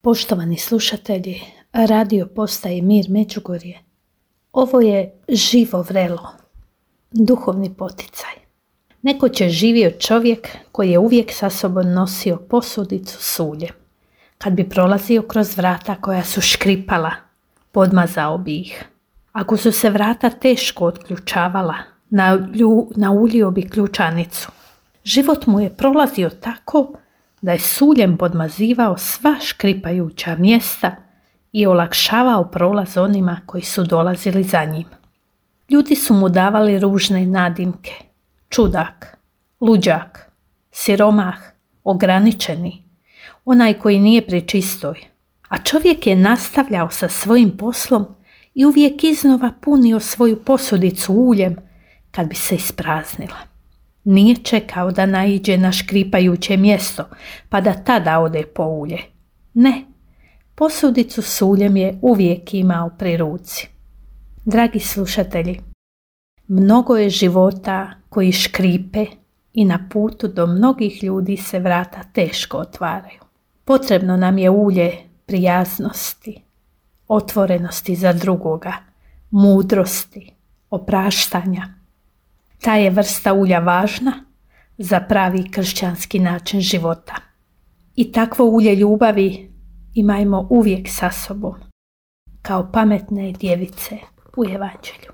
Poštovani slušatelji, radio postaje Mir Međugorje. Ovo je živo vrelo, duhovni poticaj. Nekoć je živio čovjek koji je uvijek sa sobom nosio posudicu s uljem. Kad bi prolazio kroz vrata koja su škripala, podmazao bi ih. Ako su se vrata teško otključavala, nauljio bi ključanicu. Život mu je prolazio tako da je s uljem podmazivao sva škripajuća mjesta i olakšavao prolaz onima koji su dolazili za njim. Ljudi su mu davali ružne nadimke: čudak, luđak, siromah, ograničeni, onaj koji nije pri čistoj. A čovjek je nastavljao sa svojim poslom i uvijek iznova punio svoju posudicu uljem kad bi se ispraznila. Nije čekao da naiđe na škripajuće mjesto pa da tada ode po ulje. Ne, posudicu s uljem je uvijek imao pri ruci. Dragi slušatelji, mnogo je života koji škripe i na putu do mnogih ljudi se vrata teško otvaraju. Potrebno nam je ulje prijaznosti, otvorenosti za drugoga, mudrosti, opraštanja. Ta je vrsta ulja važna za pravi kršćanski način života. I takvo ulje ljubavi imajmo uvijek sa sobom, kao pametne djevice u Evanđelju.